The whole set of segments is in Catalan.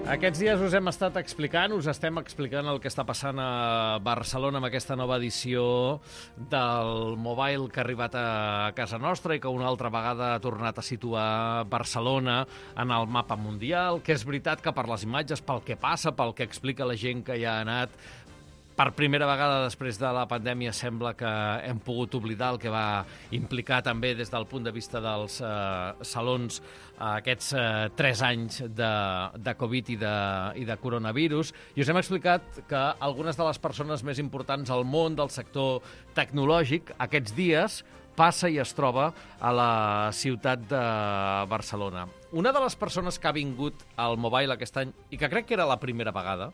Aquests dies us estem explicant el que està passant a Barcelona amb aquesta nova edició del Mobile que ha arribat a casa nostra i que una altra vegada ha tornat a situar Barcelona en el mapa mundial, que és veritat que per les imatges, pel que passa, pel que explica la gent que hi ha anat, per primera vegada després de la pandèmia sembla que hem pogut oblidar el que va implicar també des del punt de vista dels salons aquests 3 anys de Covid i de coronavirus. I us hem explicat que algunes de les persones més importants al món del sector tecnològic aquests dies passa i es troba a la ciutat de Barcelona. Una de les persones que ha vingut al Mobile aquest any, i que crec que era la primera vegada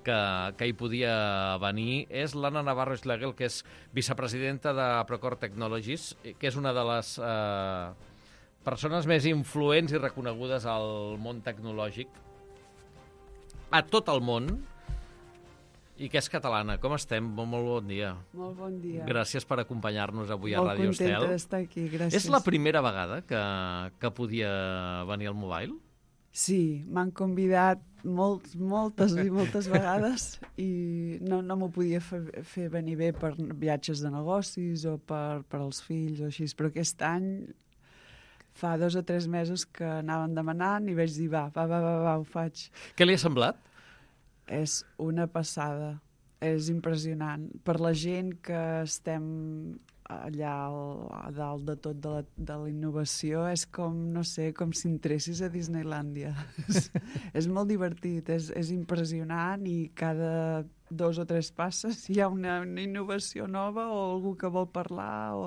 que hi podia venir, és l'Anna Navarro Schlegel, que és vicepresidenta de Procore Technologies, que és una de les persones més influents i reconegudes al món tecnològic, a tot el món, i que és catalana. Com estem? Molt bon dia. Molt bon dia. Gràcies per acompanyar-nos avui a Ràdio Estel. Molt contenta d'estar aquí, gràcies. És la primera vegada que podia venir al Mobile? Sí, m'han convidat moltes vegades i no m'ho podia fer venir bé per viatges de negocis o per als fills o així, però aquest any fa 2 o 3 mesos que anaven demanant i vaig dir va, ho faig. Què li ha semblat? És una passada, és impressionant. Per la gent que estem allà a dalt de tot de la innovació, és com, no sé, com si entressis a Disneylàndia. És molt divertit, és impressionant i cada 2 o 3 passes hi ha una innovació nova o algú que vol parlar o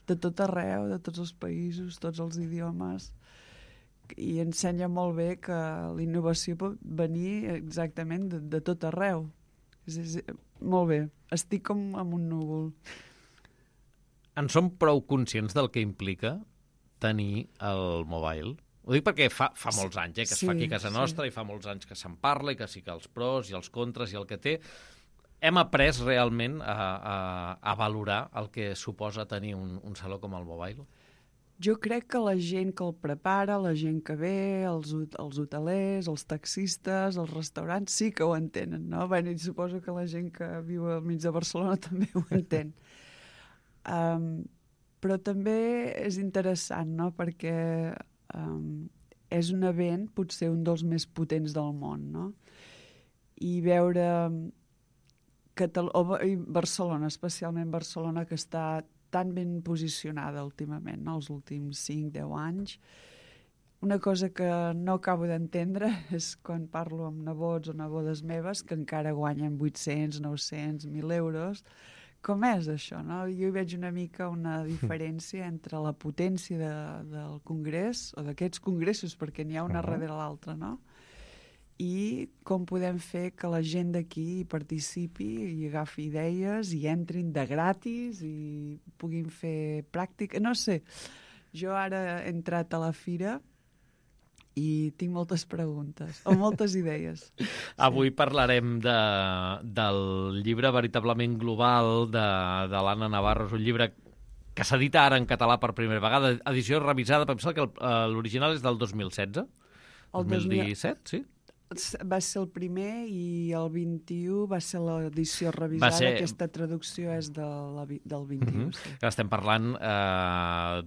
de tot arreu, de tots els països, tots els idiomes. I ensenya molt bé que la innovació pot venir exactament de tot arreu. Molt bé, estic com en un núvol. En som prou conscients del que implica tenir el Mobile? Ho dic perquè fa molts anys que es fa aquí a casa nostra i fa molts anys que se'n parla i que sí que els pros i els contres i el que té. Hem après realment a valorar el que suposa tenir un saló com el Mobile? Jo crec que la gent que el prepara, la gent que ve, els hotelers, els taxistes, els restaurants, sí que ho entenen, no? Bé, i suposo que la gent que viu al mig de Barcelona també ho entén. Però també és interessant, no? Perquè és un event potser un dels més potents del món, no? I veure Barcelona, especialment Barcelona, que està tan ben posicionada últimament, no? Els últims 5-10 anys. Una cosa que no acabo d'entendre és quan parlo amb nebots o nebodes meves que encara guanyen 800, 900, 1.000 euros. Com és això, no? Jo hi veig una mica una diferència entre la potència del congrés, o d'aquests congressos, perquè n'hi ha una darrere l'altra, no? I com podem fer que la gent d'aquí participi i agafi idees i entrin de gratis i puguin fer pràctica. No sé, jo ara he entrat a la fira i tinc moltes preguntes, o moltes idees. Avui parlarem del llibre veritablement global de l'Anna Navarro. És un llibre que s'edita ara en català per primera vegada, edició revisada, pensar que l'original és del 2016? 2017, sí? Va ser el primer i el 21 va ser l'edició revisada. Aquesta traducció és del 21. Sí. Estem parlant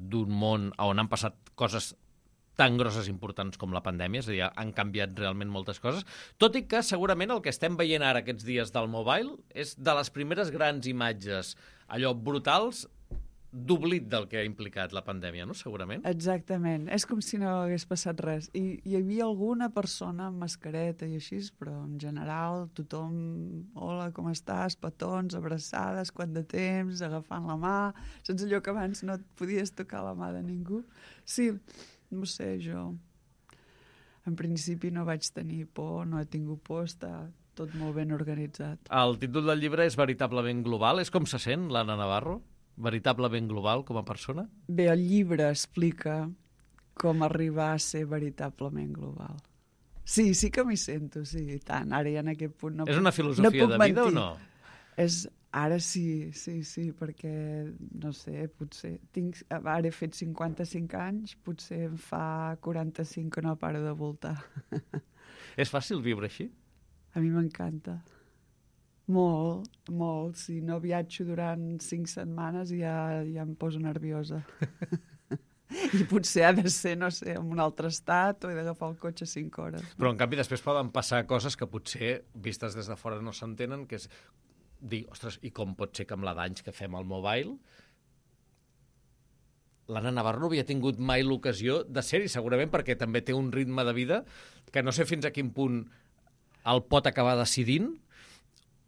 d'un món on han passat coses tan grosses i importants com la pandèmia, és a dir, han canviat realment moltes coses, tot i que segurament el que estem veient ara aquests dies del Mobile és de les primeres grans imatges, allò brutals, d'oblit del que ha implicat la pandèmia, no? Segurament. Exactament. És com si no hagués passat res. I hi havia alguna persona amb mascareta i així, però en general tothom, hola, com estàs? Petons, abraçades, quant de temps, agafant la mà. Saps allò que abans no et podies tocar la mà de ningú? Sí, no sé, jo en principi no vaig tenir por, no he tingut por, està tot molt ben organitzat. El títol del llibre és veritablement global. És com se sent l'Anna Navarro? Veritablement global com a persona? Bé, el llibre explica com arribar a ser veritablement global. Sí que m'hi sento, sí, i tant. Ara ja en aquest punt és una filosofia de vida o no? Ara sí, perquè, no sé, potser ara he fet 55 anys, potser em fa 45 que no paro de voltar. És fàcil viure així? A mi m'encanta. Molt, molt. Si no viatjo durant 5 setmanes ja em poso nerviosa. I potser ha de ser, no sé, en un altre estat o he d'agafar el cotxe 5 hores. No? Però, en canvi, després poden passar coses que potser, vistes des de fora, no s'entenen, que és dir, ostres, i com pot ser que amb la d'anys que fem al mobile l'Anna Navarro no havia tingut mai l'ocasió de ser-hi, segurament perquè també té un ritme de vida que no sé fins a quin punt el pot acabar decidint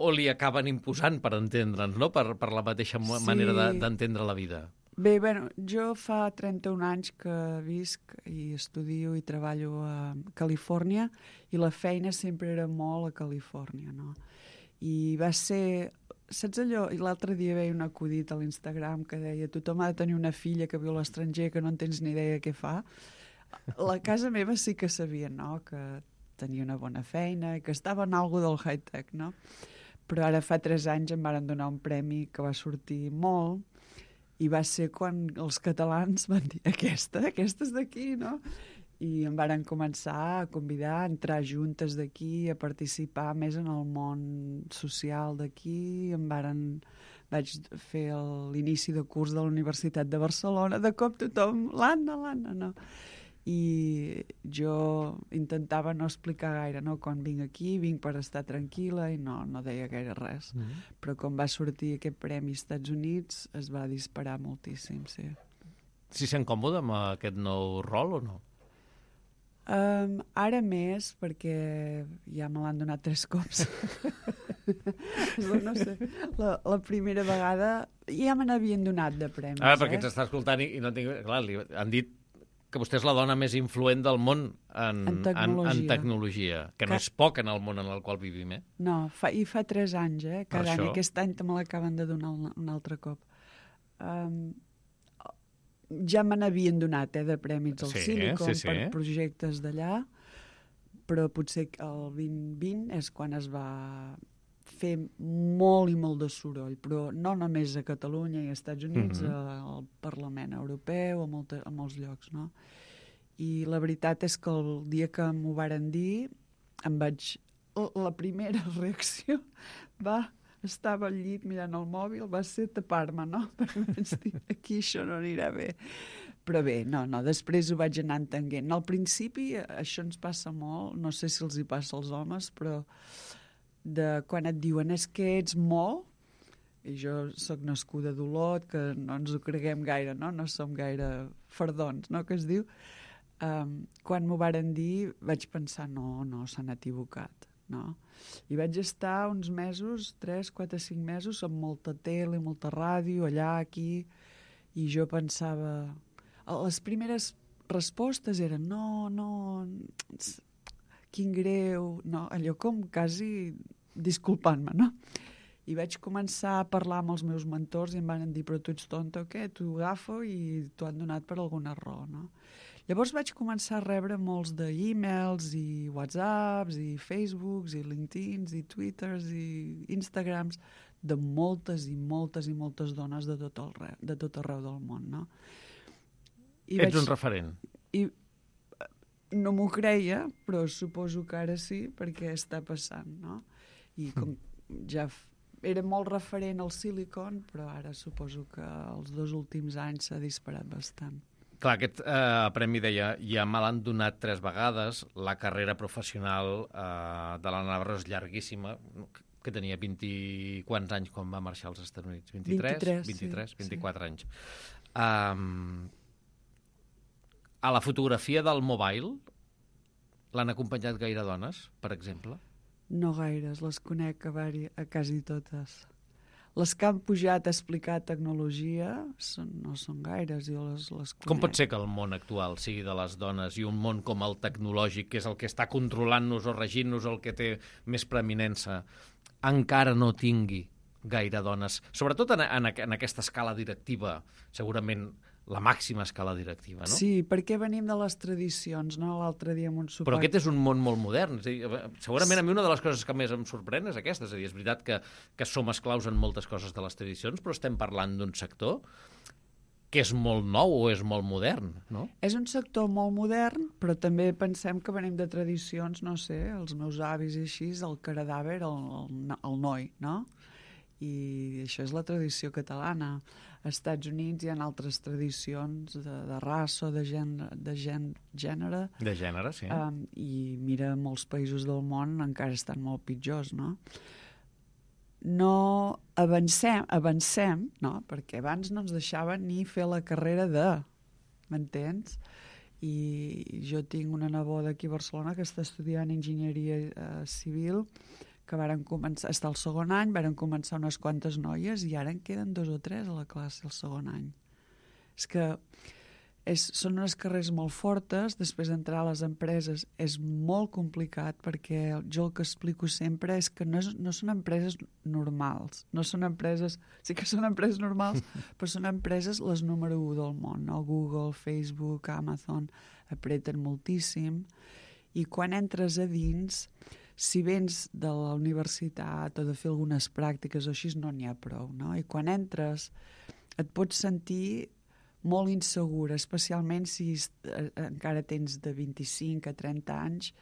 o li acaben imposant per entendre'ns, no? Per la mateixa manera d'entendre la vida. Bé, bueno, jo fa 31 anys que visc i estudio i treballo a Califòrnia i la feina sempre era molt a Califòrnia, no? I va ser... Saps allò? I l'altre dia veia un acudit a l'Instagram que deia tothom ha de tenir una filla que viu a l'estranger que no en tens ni idea què fa. La casa meva sí que sabia, no?, que tenia una bona feina i que estava en algo del high-tech, no? Però ara fa 3 anys em varen donar un premi que va sortir molt i va ser quan els catalans van dir aquesta és d'aquí, no? I em varen començar a convidar a entrar juntes d'aquí, a participar més en el món social d'aquí. Vaig fer l'inici de curs de la Universitat de Barcelona. De cop tothom, l'Anna, no? I jo intentava no explicar gaire, no? Quan vinc aquí, vinc per estar tranquil·la i no deia gaire res. Però quan va sortir aquest premi als Estats Units es va disparar moltíssim, sí. Si sent còmode amb aquest nou rol o no? Ara més, perquè ja me l'han donat 3 cops. No sé, la primera vegada ja me n'havien donat de premis. Perquè ens està escoltant i no tinc... Clar, li han dit que vostè és la dona més influent del món en tecnologia, que no és poc en el món en el qual vivim, eh? No, fa 3 anys, cada any. Aquest any me l'acaben de donar un altre cop. Ja me n'havien donat de prèmits al Silicon per projectes d'allà, però potser el 2020 és quan es va fer molt i molt de soroll, però no només a Catalunya i als Estats Units, al Parlament Europeu, a molts llocs, no? I la veritat és que el dia que m'ho varen dir, la primera reacció estava al llit mirant el mòbil, va ser tapar-me, no? Perquè vaig dir, aquí això no anirà bé. Però bé, no, després ho vaig anar entenent. Al principi això ens passa molt, no sé si els hi passa als homes, però quan et diuen és que ets molt, i jo sóc nascuda d'Olot, que no ens ho creguem gaire, no? No som gaire fardons, no?, que es diu. Quan m'ho varen dir vaig pensar, no, s'han equivocat, no? I vaig estar uns mesos, 3, 4, 5 mesos, amb molta tele, molta ràdio, allà, aquí, i jo pensava... Les primeres respostes eren no, quin greu, no, allò com quasi disculpant-me, no? I vaig començar a parlar amb els meus mentors i em van dir, però tu ets tonta o què? T'ho agafo i t'ho han donat per alguna raó, no? Llavors vaig començar a rebre molts d'e-mails i whatsapps i facebooks i linkedins i twitters i instagrams de moltes i moltes i moltes dones de tot arreu del món, no? Ets un referent. I no m'ho creia, però suposo que ara sí, perquè està passant, no? I com ja era molt referent al Silicon, però ara suposo que els 2 últims anys s'ha disparat bastant. Clar, aquest premi deia, ja me l'han donat 3 vegades, la carrera professional de l'Anna Navarro és llarguíssima, que tenia 20 i quants anys quan va marxar als Estats Units? 24 anys. A la fotografia del mobile l'han acompanyat gaire dones, per exemple? No gaires, les conec a quasi totes. Les que han pujat a explicar tecnologia no són gaires, jo les conec. Com pot ser que el món actual sigui de les dones i un món com el tecnològic, que és el que està controlant-nos o regint-nos, el que té més preeminença, encara no tingui gaire dones? Sobretot en aquesta escala directiva, segurament la màxima escala directiva, no? Sí, perquè venim de les tradicions, no? L'altre dia amb un sopar... Però aquest és un món molt modern. És a dir, segurament a mi una de les coses que més em sorprèn és aquesta. És a dir, és veritat que som esclaus en moltes coses de les tradicions, però estem parlant d'un sector que és molt nou o és molt modern, no? És un sector molt modern, però també pensem que venim de tradicions, no sé, els meus avis i així, el caradàver, el noi, no? I això és la tradició catalana. Als Estats Units hi ha altres tradicions de raça, de gènere. De gènere, sí. I mira, molts països del món encara estan molt pitjors, no? No avancem, no? Perquè abans no ens deixaven ni fer la carrera m'entens? I jo tinc una neboda aquí a Barcelona que està estudiant enginyeria civil, que varen començar, està al segon any, varen començar unes quantes noies i ara en queden 2 o 3 a la classe al segon any. És que són unes carreres molt fortes, després d'entrar a les empreses és molt complicat perquè jo el que explico sempre és que no són empreses normals, no són empreses, sí que són empreses normals, però són empreses les número 1 del món, no? Google, Facebook, Amazon, apreten moltíssim i quan entres a dins, si vens de la universitat o de fer algunes pràctiques o així, no n'hi ha prou, no? I quan entres et pots sentir molt insegura, especialment si encara tens de 25 a 30 anys,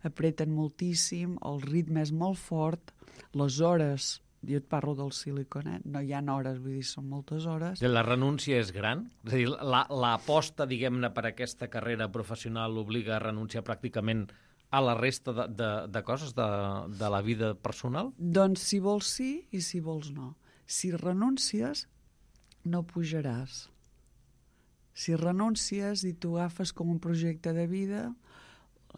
apreten moltíssim, el ritme és molt fort, les hores, jo et parlo del Silicon, no hi ha hores, vull dir, són moltes hores. La renúncia és gran? És a dir, l'aposta, diguem-ne, per aquesta carrera professional obliga a renunciar pràcticament a la resta de coses de la vida personal? Doncs si vols sí i si vols no. Si renuncies, no pujaràs. Si renuncies i tu agafes com un projecte de vida,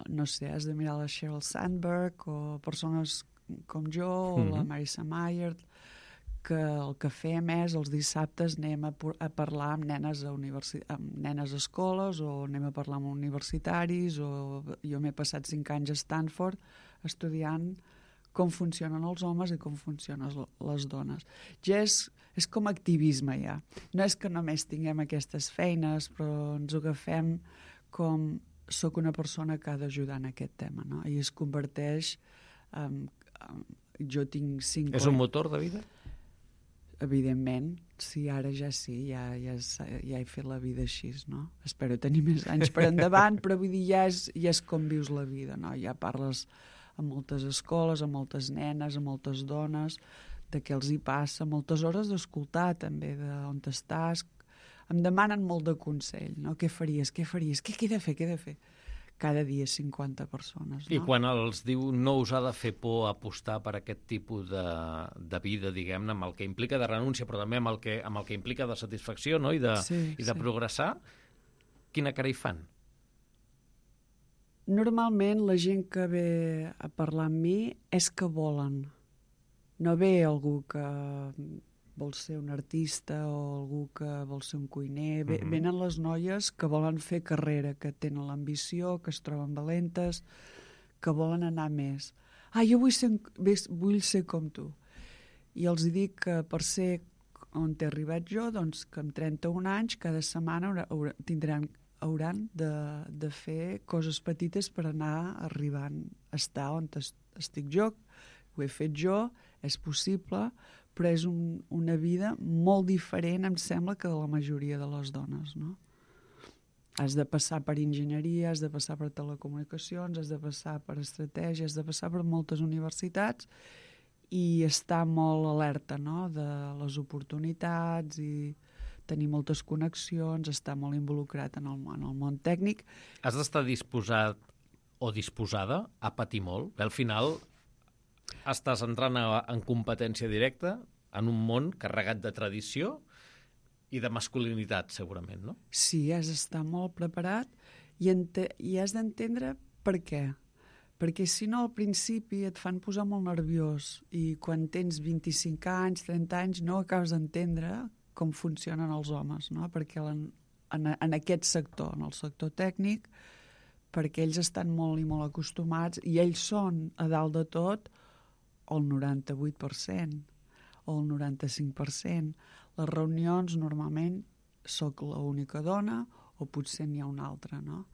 no sé, has de mirar la Sheryl Sandberg o persones com jo o la Marissa Mayer, que el que fem és els dissabtes anem a parlar amb nenes amb nenes a escoles o anem a parlar amb universitaris o jo m'he passat 5 anys a Stanford estudiant com funcionen els homes i com funcionen les dones. Ja és com activisme ja. No és que només tinguem aquestes feines, però ens ho agafem com soc una persona que ha d'ajudar en aquest tema, no? I es converteix jo tinc 5 És un motor de vida? Evidentment, sí, ara ja sí, ja he fet la vida així, no? Espero tenir més anys per endavant, però vull dir, ja és com vius la vida, no? Ja parles amb moltes escoles, amb moltes nenes, amb moltes dones, de què els hi passa, moltes hores d'escoltar també, d'on estàs. Em demanen molt de consell, no? Què faries? Què he de fer? Cada dia 50 persones, no? I quan els diu no us ha de fer por apostar per aquest tipus de vida, diguem-ne, amb el que implica de renúncia, però també amb el que implica de satisfacció, no? I de progressar, quina cara hi fan? Normalment la gent que ve a parlar amb mi és que volen. No ve algú que vol ser un artista o algú que vol ser un cuiner. Venen les noies que volen fer carrera, que tenen l'ambició, que es troben valentes, que volen anar més. Jo vull ser com tu. I els dic que per ser on he arribat jo, doncs que amb 31 anys cada setmana hauran de fer coses petites per anar arribant a estar on estic jo. Ho he fet jo, és possible, però és una vida molt diferent, em sembla, que de la majoria de les dones, no? Has de passar per enginyeria, has de passar per telecomunicacions, has de passar per estratègia, has de passar per moltes universitats i estar molt alerta, no?, de les oportunitats i tenir moltes connexions, estar molt involucrat en el món tècnic. Has d'estar disposat o disposada a patir molt. Al final estàs entrant en competència directa en un món carregat de tradició i de masculinitat, segurament, no? Sí, has d'estar molt preparat i has d'entendre per què. Perquè si no, al principi et fan posar molt nerviós i quan tens 25 anys, 30 anys, no acabes d'entendre com funcionen els homes, no? Perquè en aquest sector, en el sector tècnic, perquè ells estan molt i molt acostumats i ells són, a dalt de tot, el 98% o el 95%. Les reunions normalment sóc l'única dona o potser n'hi ha una altra, no?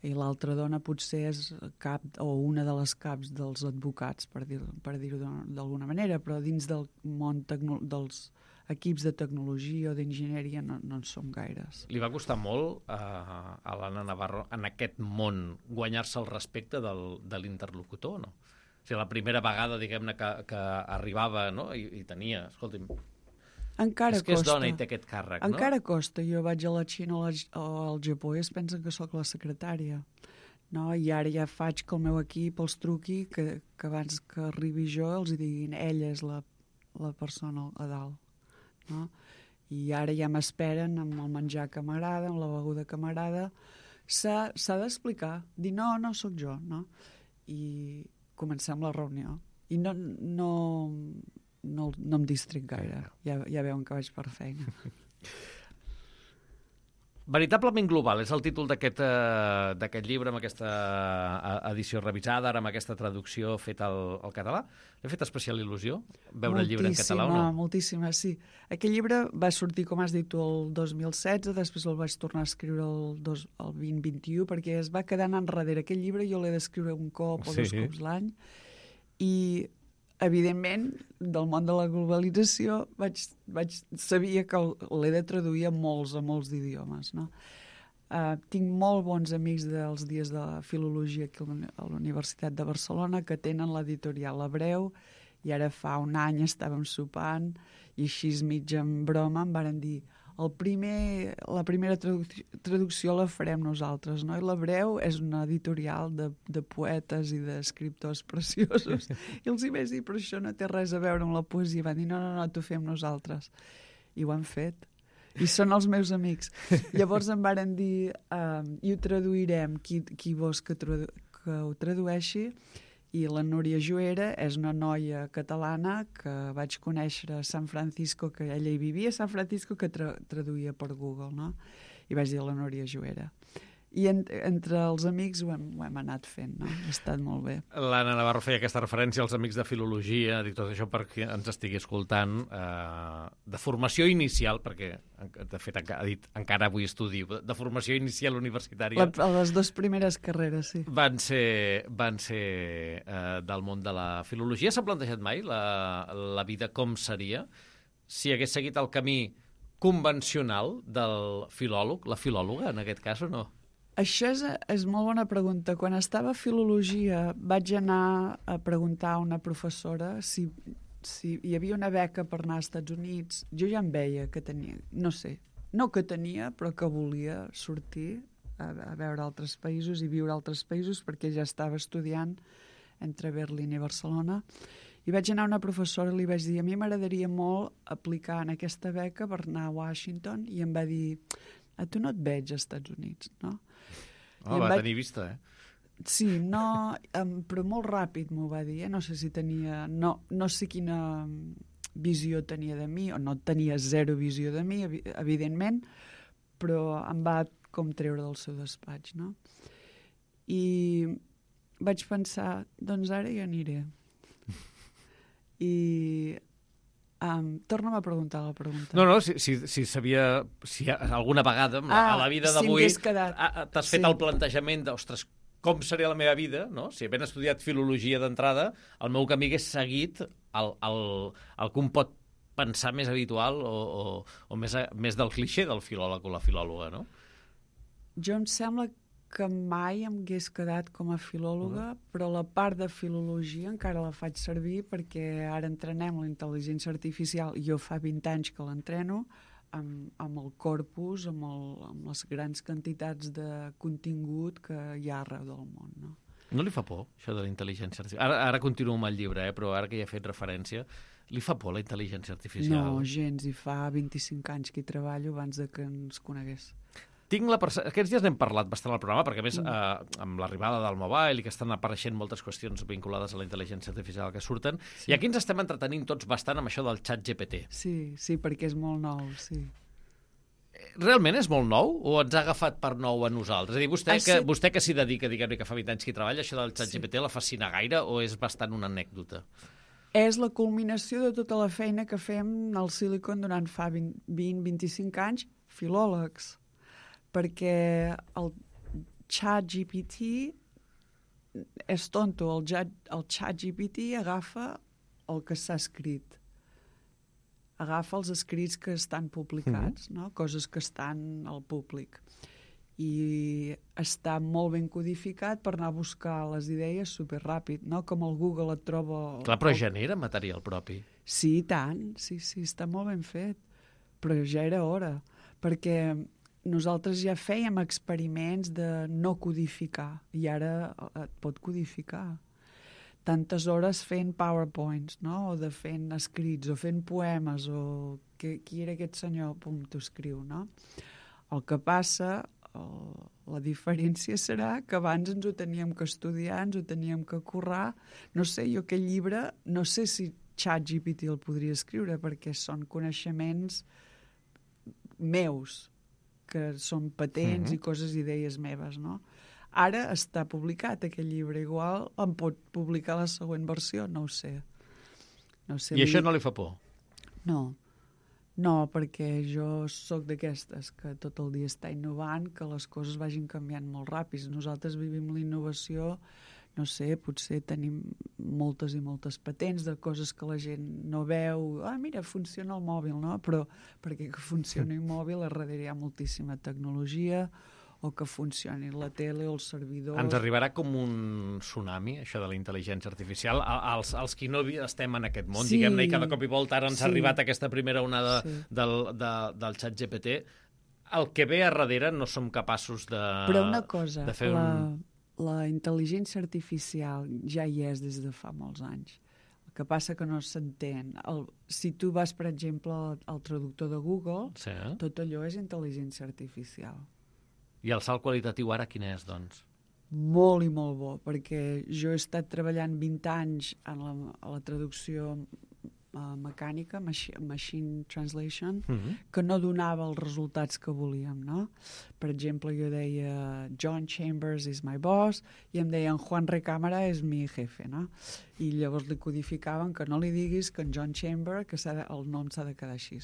I l'altra dona potser és cap o una de les caps dels advocats, per dir-ho d'alguna manera, però dins del món dels equips de tecnologia o d'enginyeria no en som gaires. Li va costar molt a l'Anna Navarro en aquest món guanyar-se el respecte de l'interlocutor, no? O sigui, la primera vegada, diguem-ne, que arribava, no? I tenia, escolti'm, encara és que costa. és dona i té aquest càrrec, no? Encara costa. Jo vaig a la Xina o al Japó i es pensen que sóc la secretària. No? I ara ja faig que el meu equip els truqui, que abans que arribi jo els diguin ella és la persona a dalt. No? I ara ja m'esperen amb el menjar que m'agrada, amb la beguda que m'agrada. S'ha d'explicar, dir no sóc jo. No? I comencem la reunió. I no em distrec gaire. Ja veuen que vaig per feina. Veritablement global és el títol d'aquest llibre, amb aquesta edició revisada, ara amb aquesta traducció feta al català. L'ha fet especial il·lusió veure el llibre en català o no? Moltíssima, sí. Aquest llibre va sortir, com has dit tu, el 2016, després el vaig tornar a escriure el 2021, perquè es va quedar enrere. Aquest llibre jo l'he d'escriure un cop o dos cops l'any, i evidentment, del món de la globalització, sabia que l'he de traduir a molts d'idiomes. No? Tinc molt bons amics dels dies de la filologia aquí a la Universitat de Barcelona que tenen l'editorial Hebreu, i ara fa un any estàvem sopant i així mig en broma em varen dir la primera traducció la farem nosaltres, no? I l'Hebreu és una editorial de poetes i d'escriptors preciosos. I els hi vaig dir, però això no té res a veure amb la poesia. Van dir, no, t'ho fem nosaltres. I ho han fet. I són els meus amics. Llavors em varen dir, i ho traduirem, qui vols que ho tradueixi. I la Núria Juera és una noia catalana que vaig conèixer a San Francisco, que ella hi vivia a San Francisco, que traduïa per Google, no? I vaig dir a la Núria Juera. I entre els amics ho hem anat fent, no? Ha estat molt bé. L'Anna Navarro feia aquesta referència als amics de filologia, dic tot això perquè ens estigui escoltant, de formació inicial, perquè de fet ha dit encara avui estudio, de formació inicial universitària. Les dues primeres carreres, sí. Van ser del món de la filologia. S'ha plantejat mai la vida com seria si hagués seguit el camí convencional del filòleg, la filòloga, en aquest cas, o no? Això és molt bona pregunta. Quan estava a Filologia vaig anar a preguntar a una professora si hi havia una beca per anar als Estats Units. Jo ja em veia que tenia, no sé, no que tenia, però que volia sortir a veure altres països i viure a altres països, perquè ja estava estudiant entre Berlín i Barcelona. I vaig anar a una professora i li vaig dir, a mi m'agradaria molt aplicar en aquesta beca per anar a Washington, i em va dir, a tu no et veig als Estats Units, no? Va tenir vista, Sí, no, però molt ràpid m'ho va dir, no sé si tenia, no sé quina visió tenia de mi, o no tenia zero visió de mi, evidentment, però em va com treure del seu despatx, no? I vaig pensar, doncs ara ja aniré. I torna'm a preguntar la pregunta. No, si sabia, si alguna vegada a la vida d'avui t'has fet el plantejament de, ostres, com seria la meva vida, no? Si havent estudiat filologia d'entrada, el meu camí hagués seguit el que un pot pensar més habitual o més del clixé del filòleg o la filòloga, no? Jo em sembla que mai em hagués quedat com a filòloga, però la part de filologia encara la faig servir perquè ara entrenem la intel·ligència artificial, i jo fa 20 anys que l'entreno, amb el corpus, amb les grans quantitats de contingut que hi ha arreu del món, no? No li fa por, això de la intel·ligència artificial? Ara continuo amb el llibre, però ara que hi ha fet referència, li fa por la intel·ligència artificial? No, gens, i fa 25 anys que hi treballo abans de que ens conegués. Aquests dies n'hem parlat bastant al programa, perquè a més amb l'arribada del mobile i que estan apareixent moltes qüestions vinculades a la intel·ligència artificial que surten, sí. I aquí ens estem entretenint tots bastant amb això del xat GPT. Sí, perquè és molt nou, sí. Realment és molt nou o ens ha agafat per nou a nosaltres? És a dir, vostè que s'hi dedica, diguem-ne, que fa 20 anys que hi treballa, això del xat GPT la fascina gaire o és bastant una anècdota? És la culminació de tota la feina que fem al Silicon durant fa 20-25 anys, filòlegs, perquè el ChatGPT és tonto. El ChatGPT agafa el que s'ha escrit. Agafa els escrits que estan publicats, no? Coses que estan al públic. I està molt ben codificat per anar a buscar les idees superràpid, no? Com el Google et troba... Clar, però genera material propi. Sí, tant. Sí, està molt ben fet. Però ja era hora, perquè nosaltres ja fèiem experiments de no codificar i ara et pot codificar. Tantes hores fent PowerPoints, no? O de fent escrits, o fent poemes, o qui era aquest senyor? Pum, t'ho escriu, no? El que passa, la diferència serà que abans ens ho teníem que estudiar, ens ho teníem que currar. No sé, jo aquell llibre, no sé si ChatGPT el podria escriure, perquè són coneixements meus, que són patents i coses, idees meves, no? Ara està publicat aquell llibre, igual em pot publicar la següent versió, no ho sé. I això no li fa por? No, perquè jo sóc d'aquestes que tot el dia està innovant, que les coses vagin canviant molt ràpid. Nosaltres vivim la innovació, no sé, potser tenim moltes i moltes patents de coses que la gent no veu. Mira, funciona el mòbil, no? Però perquè que funcioni un mòbil, a darrere hi ha moltíssima tecnologia, o que funcioni la tele o els servidors. Ens arribarà com un tsunami, això de la intel·ligència artificial. Els qui no estem en aquest món, diguem-ne, i cada cop i volta ara ens ha arribat aquesta primera onada del ChatGPT. El que ve a darrere no som capaços de... Però una cosa, la intel·ligència artificial ja hi és des de fa molts anys. El que passa que no s'entén. Si tu vas, per exemple, al traductor de Google, tot allò és intel·ligència artificial. I el salt qualitatiu ara quin és, doncs? Molt i molt bo, perquè jo he estat treballant 20 anys a la traducció mecànica, machine translation, que no donava els resultats que volíem, no? Per exemple, jo deia John Chambers is my boss i em deien Juan Recámara és mi jefe, no? I llavors li codificaven que no li diguis que en John Chambers, que el nom s'ha de quedar així.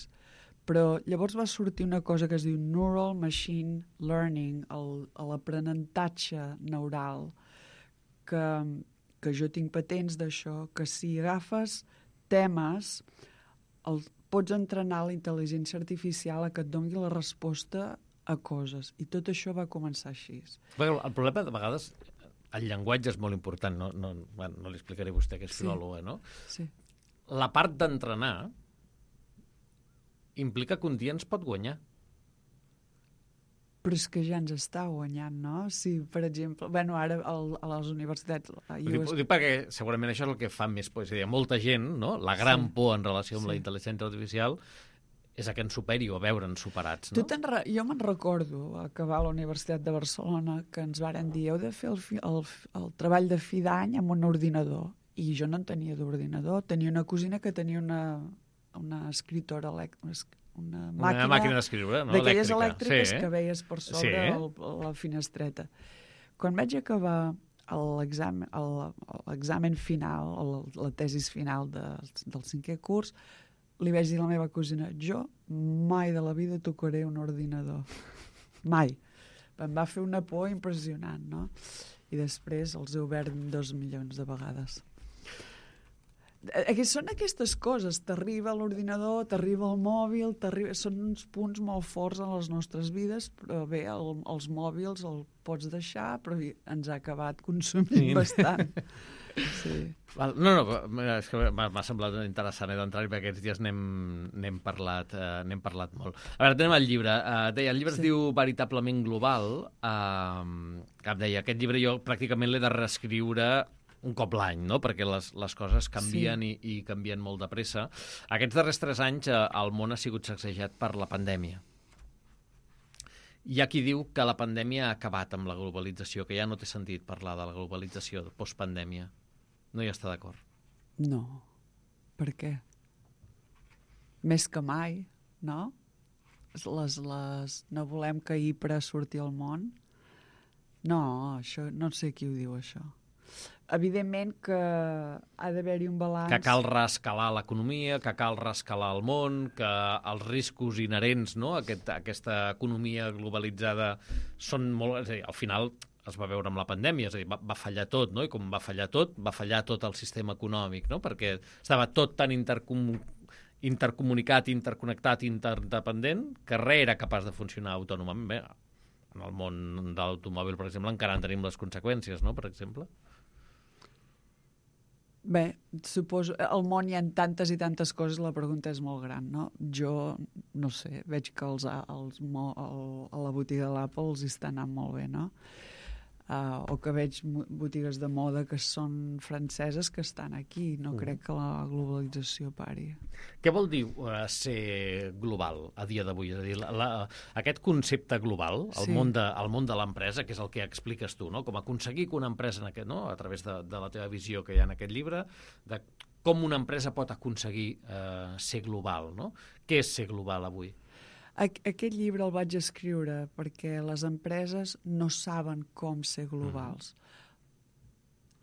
Però llavors va sortir una cosa que es diu Neural Machine Learning, l'aprenentatge neural, que jo tinc patents d'això, que si agafes temes, pots entrenar la intel·ligència artificial a que et doni la resposta a coses. I tot això va començar així. El problema, de vegades, el llenguatge és molt important. No li explicaré a vostè, que és filòloga, no? Sí. La part d'entrenar implica que un dia ens pot guanyar. Però és que ja ens està guanyant, no? Si, per exemple, ara a les universitats... Ho dic perquè segurament això és el que fa més por. És a dir, molta gent, no? La gran por en relació amb la intel·ligència artificial és a que ens superi o a veure'ns superats, no? Jo me'n recordo, acabar a la Universitat de Barcelona, que ens varen dir heu de fer el treball de fi d'any amb un ordinador. I jo no en tenia d'ordinador. Tenia una cosina que tenia una escriptora una màquina d'escriure, no? D'aquelles elèctriques que veies per sobre la finestreta. Quan vaig acabar l'examen final, la tesis final del 5è curs, li vaig dir a la meva cosina, jo mai de la vida tocaré un ordinador. Mai. Em va fer una por impressionant, no? I després els he obert 2 milions de vegades. Són aquestes coses, t'arriba l'ordinador, t'arriba el mòbil, són uns punts molt forts en les nostres vides, però bé, els mòbils els pots deixar, però ens ha acabat consumint bastant. Sí. No, és que m'ha semblat interessant d'entrar-hi, perquè aquests dies n'hem parlat molt. A veure, tenim el llibre. El llibre es diu Veritablement Global. Que em deia, aquest llibre jo pràcticament l'he de reescriure un cop l'any, no? Perquè les coses canvien i canvien molt de pressa. Aquests darrers 3 anys el món ha sigut sacsejat per la pandèmia. Hi ha qui diu que la pandèmia ha acabat amb la globalització, que ja no té sentit parlar de la globalització postpandèmia. No hi està d'acord? No. Per què? Més que mai, no? No volem que Ypres surti al món? No, això, no sé qui ho diu, això. evidentment que ha d'haver-hi un balanç. Que cal reescalar l'economia, que cal reescalar el món, que els riscos inherents, no?, a aquesta economia globalitzada són molt... És a dir, al final es va veure amb la pandèmia, és a dir, va fallar tot, no?, i com va fallar tot el sistema econòmic, no?, perquè estava tot tan intercomunicat, interconnectat, interdependent, que res era capaç de funcionar autònomament. Bé, en el món de l'automòbil, per exemple, encara en tenim les conseqüències, no?, per exemple. Bé, suposo... Al món hi ha tantes i tantes coses, la pregunta és molt gran, no? Jo, no sé, veig que a la botiga de l'Apple els està anant molt bé, no? O que veig botigues de moda que són franceses que estan aquí. No crec que la globalització pari. Què vol dir ser global a dia d'avui? És a dir, aquest concepte global, el món de l'empresa, que és el que expliques tu, no?, com aconseguir que una empresa, no?, a través de la teva visió que hi ha en aquest llibre, de com una empresa pot aconseguir ser global, no? Què és ser global avui? Aquest llibre el vaig escriure perquè les empreses no saben com ser globals.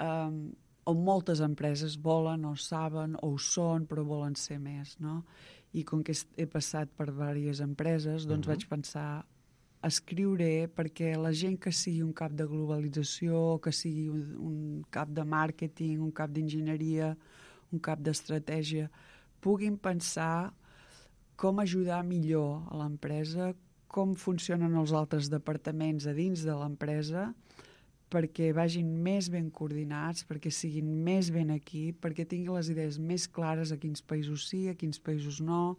O moltes empreses volen o saben o ho són, però volen ser més, no? I com que he passat per diverses empreses, doncs vaig pensar, escriuré perquè la gent que sigui un cap de globalització, que sigui un cap de màrqueting, un cap d'enginyeria, un cap d'estratègia, puguin pensar com ajudar millor a l'empresa, com funcionen els altres departaments a dins de l'empresa, perquè vagin més ben coordinats, perquè siguin més ben aquí, perquè tinguin les idees més clares a quins països sí, a quins països no,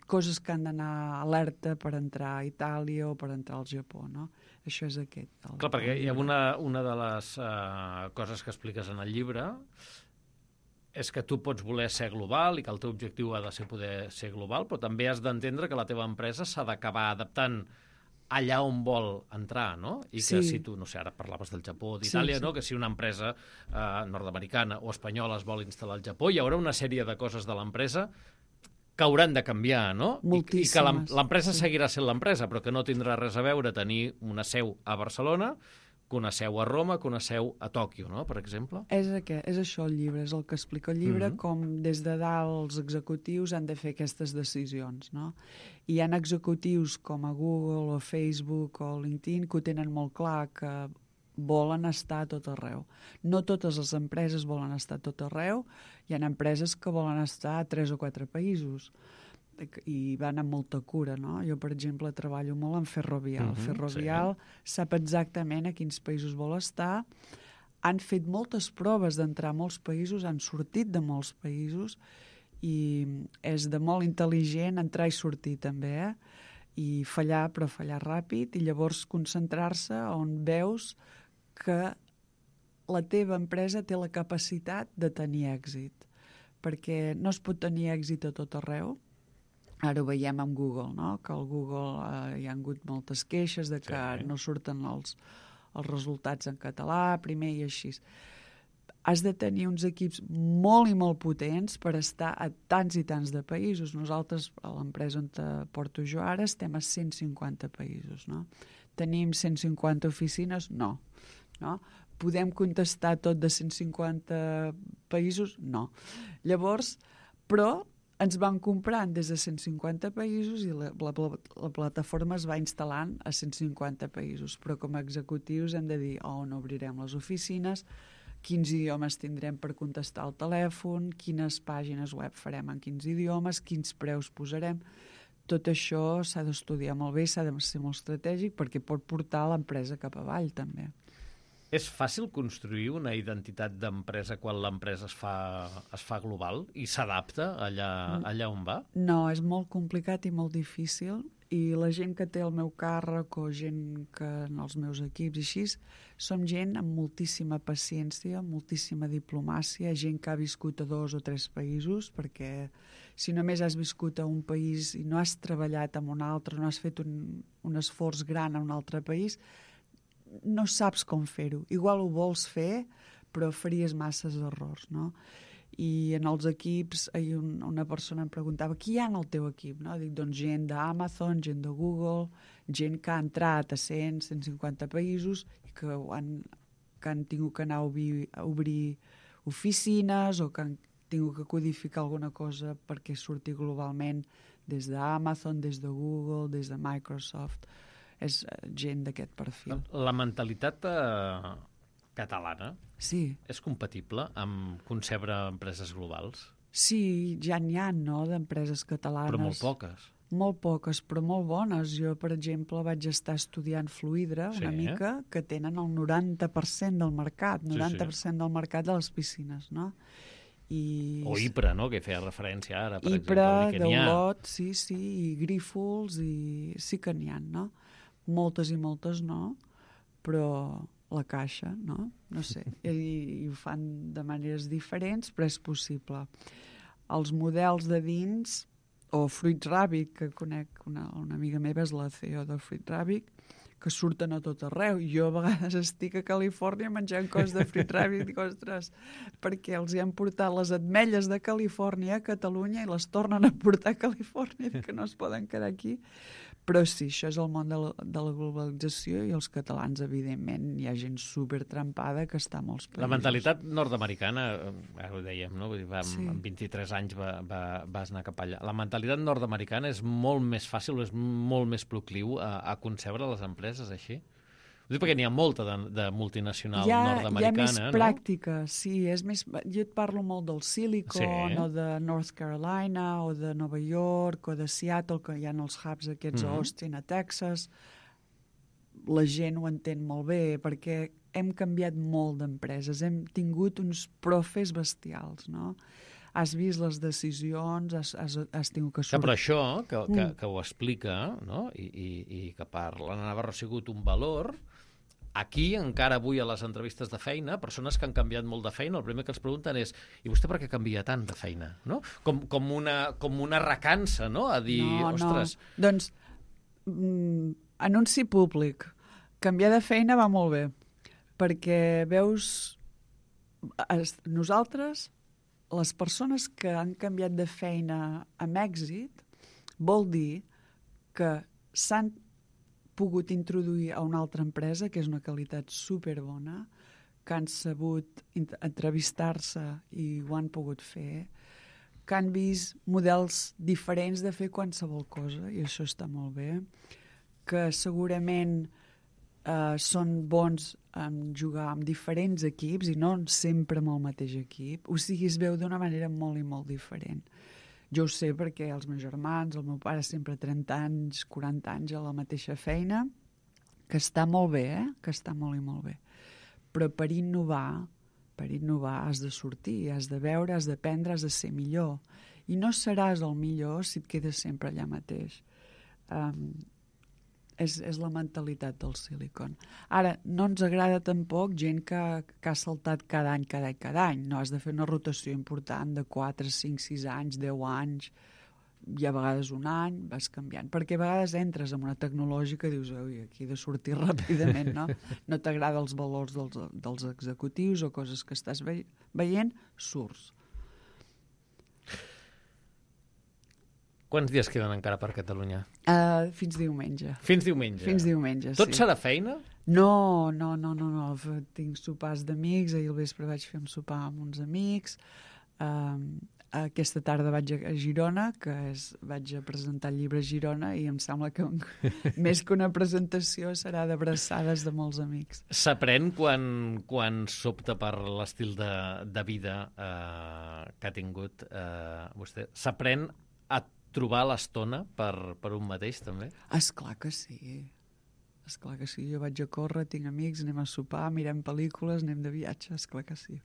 coses que han d'anar alerta per entrar a Itàlia o per entrar al Japó, no? Això és aquest. Clar, perquè hi ha una de les coses que expliques en el llibre és que tu pots voler ser global i que el teu objectiu ha de ser poder ser global, però també has d'entendre que la teva empresa s'ha d'acabar adaptant allà on vol entrar, no? I que si tu, no sé, ara parlaves del Japó o d'Itàlia, no?, que si una empresa nord-americana o espanyola es vol instal·lar al Japó, hi haurà una sèrie de coses de l'empresa que hauran de canviar, no? Moltíssimes. I que l'empresa seguirà sent l'empresa, però que no tindrà res a veure tenir una seu a Barcelona que una seu a Roma, que una seu a Tòquio, no?, per exemple. És això el llibre, és el que explica el llibre, com des de dalt els executius han de fer aquestes decisions, no? I hi ha executius com a Google o Facebook o LinkedIn que ho tenen molt clar, que volen estar a tot arreu. No totes les empreses volen estar a tot arreu, hi ha empreses que volen estar a 3 o 4 països i van amb molta cura, no? Jo, per exemple, treballo molt en Ferrovial. Ferrovial sap exactament a quins països vol estar. Han fet moltes proves d'entrar a molts països, han sortit de molts països i és de molt intel·ligent entrar i sortir també, i fallar, però fallar ràpid, i llavors concentrar-se on veus que la teva empresa té la capacitat de tenir èxit, perquè no es pot tenir èxit a tot arreu. Ara ho veiem amb Google, no?, que al Google hi ha hagut moltes queixes de que no surten els resultats en català, primer i així. Has de tenir uns equips molt i molt potents per estar a tants i tants de països. Nosaltres, a l'empresa on porto jo ara, estem a 150 països, no? Tenim 150 oficines? No. Podem contestar tot de 150 països? No. Llavors, però ens van comprant des de 150 països i la plataforma es va instal·lant a 150 països. Però com a executius hem de dir on obrirem les oficines, quins idiomes tindrem per contestar al telèfon, quines pàgines web farem en quins idiomes, quins preus posarem. Tot això s'ha d'estudiar molt bé, s'ha de ser molt estratègic perquè pot portar l'empresa cap avall també. És fàcil construir una identitat d'empresa quan l'empresa es fa global i s'adapta allà on va? No, és molt complicat i molt difícil, i la gent que té el meu càrrec o gent que en els meus equips i així, som gent amb moltíssima paciència, moltíssima diplomàcia, gent que ha viscut a 2 o 3 països, perquè si només has viscut a un país i no has treballat en un altre, no has fet un esforç gran en un altre país, no saps com fer-ho. Igual ho vols fer, però faries masses errors, no? I en els equips, una persona em preguntava qui hi ha en el teu equip, no? Dic, doncs gent d'Amazon, gent de Google, gent que ha entrat a 100, 150 països i que han que han tingut que anar a obrir oficines o que han tingut que codificar alguna cosa perquè surti globalment des d'Amazon, des de Google, des de Microsoft. És gent d'aquest perfil. La mentalitat catalana és compatible amb concebre empreses globals? Sí, ja n'hi ha, no?, d'empreses catalanes. Però molt poques. Molt poques, però molt bones. Jo, per exemple, vaig estar estudiant Fluidra una mica, que tenen el 90% del mercat, 90% del mercat de les piscines, no? O Ypres, no?, que feia referència ara, per exemple. Ypres, Deulot, sí, i Grífols, i sí que n'hi ha, no? Moltes i moltes no, però la Caixa, no? No sé, i ho fan de maneres diferents, però és possible. Els models de dins, o Fruit Rabbit, que conec, una amiga meva és la CEO de Fruit Rabbit, que surten a tot arreu. Jo a vegades estic a Califòrnia menjant coses de Fruit Rabbit i dic, ostres, perquè els hi han portat les ametlles de Califòrnia a Catalunya i les tornen a portar a Califòrnia, que no es poden quedar aquí. Però sí, això és el món de la globalització i els catalans, evidentment, hi ha gent supertrampada que està a molts països. La mentalitat nord-americana, ara ho dèiem, no? Vull dir, amb 23 anys vas anar cap allà. La mentalitat nord-americana és molt més fàcil, és molt més procliu a concebre les empreses així? Ho dic perquè n'hi ha molta de multinacional nord-americana, hi ha més no? pràctica, sí. És més, jo et parlo molt del Silicon, o de North Carolina, o de Nova York, o de Seattle, que hi ha els hubs aquests a Austin, a Texas. La gent ho entén molt bé, perquè hem canviat molt d'empreses. Hem tingut uns profes bestials, no? Has vist les decisions, has tingut que sortir... Però això, que ho explica, no?, i que per l'Anna Navarro ha sigut un valor, aquí, encara avui a les entrevistes de feina, persones que han canviat molt de feina, el primer que els pregunten és i vostè per què canvia tant de feina? No? Com una recança, no?, a dir, ostres... No. Doncs, anunci públic. Canviar de feina va molt bé, perquè veus... Nosaltres... Les persones que han canviat de feina amb èxit vol dir que s'han pogut introduir a una altra empresa, que és una qualitat superbona, que han sabut entrevistar-se i ho han pogut fer, que han vist models diferents de fer qualsevol cosa, i això està molt bé, que segurament són bons en jugar amb diferents equips i no sempre amb el mateix equip. O sigui, es veu d'una manera molt i molt diferent. Jo ho sé perquè els meus germans, el meu pare sempre 30 anys, 40 anys a la mateixa feina, que està molt bé, que està molt i molt bé. Però per innovar has de sortir, has de veure, has d'aprendre, has de ser millor. I no seràs el millor si et quedes sempre allà mateix. És la mentalitat del Silicon. Ara, no ens agrada tampoc gent que ha saltat cada any. No, has de fer una rotació important de 4, 5, 6 anys, 10 anys, i a vegades un any, vas canviant. Perquè a vegades entres en una tecnològica i dius, ui, aquí he de sortir ràpidament, no? No t'agrada els valors dels executius o coses que estàs veient, surts. Quants dies queden encara per Catalunya? Fins diumenge. Fins diumenge? Fins diumenge, sí. Tot serà feina? No. Tinc sopars d'amics, ahir al vespre vaig fer un sopar amb uns amics. Aquesta tarda vaig a Girona, vaig a presentar el llibre a Girona i em sembla que més que una presentació serà d'abraçades de molts amics. S'aprèn quan s'opta per l'estil de vida que ha tingut vostè? S'aprèn a trobar l'estona per un mateix, també? Esclar que sí. Jo vaig a córrer, tinc amics, anem a sopar, mirem pel·lícules, anem de viatge, esclar que sí.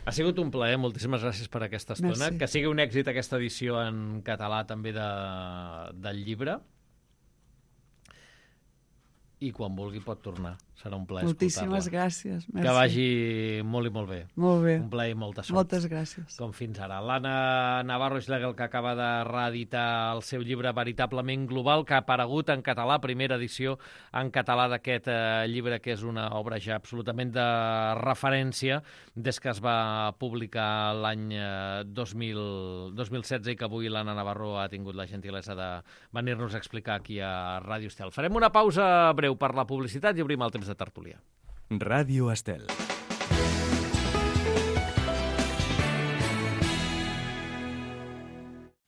Ha sigut un plaer, moltíssimes gràcies per aquesta estona. Merci. Que sigui un èxit aquesta edició en català també del llibre. I quan vulgui pot tornar. Serà un plaer escoltar-la. Moltíssimes gràcies. Merci. Que vagi molt i molt bé. Molt bé. Un plaer i molta sort. Moltes gràcies. Com fins ara. L'Anna Navarro Schlegel, que acaba de reeditar el seu llibre Veritablement Global, que ha aparegut en català, primera edició en català d'aquest llibre, que és una obra ja absolutament de referència des que es va publicar l'any 2016 i que avui l'Anna Navarro ha tingut la gentilesa de venir-nos a explicar aquí a Ràdio Estel. Farem una pausa breu per la publicitat i obrim el temps de tertúlia. Ràdio Estel.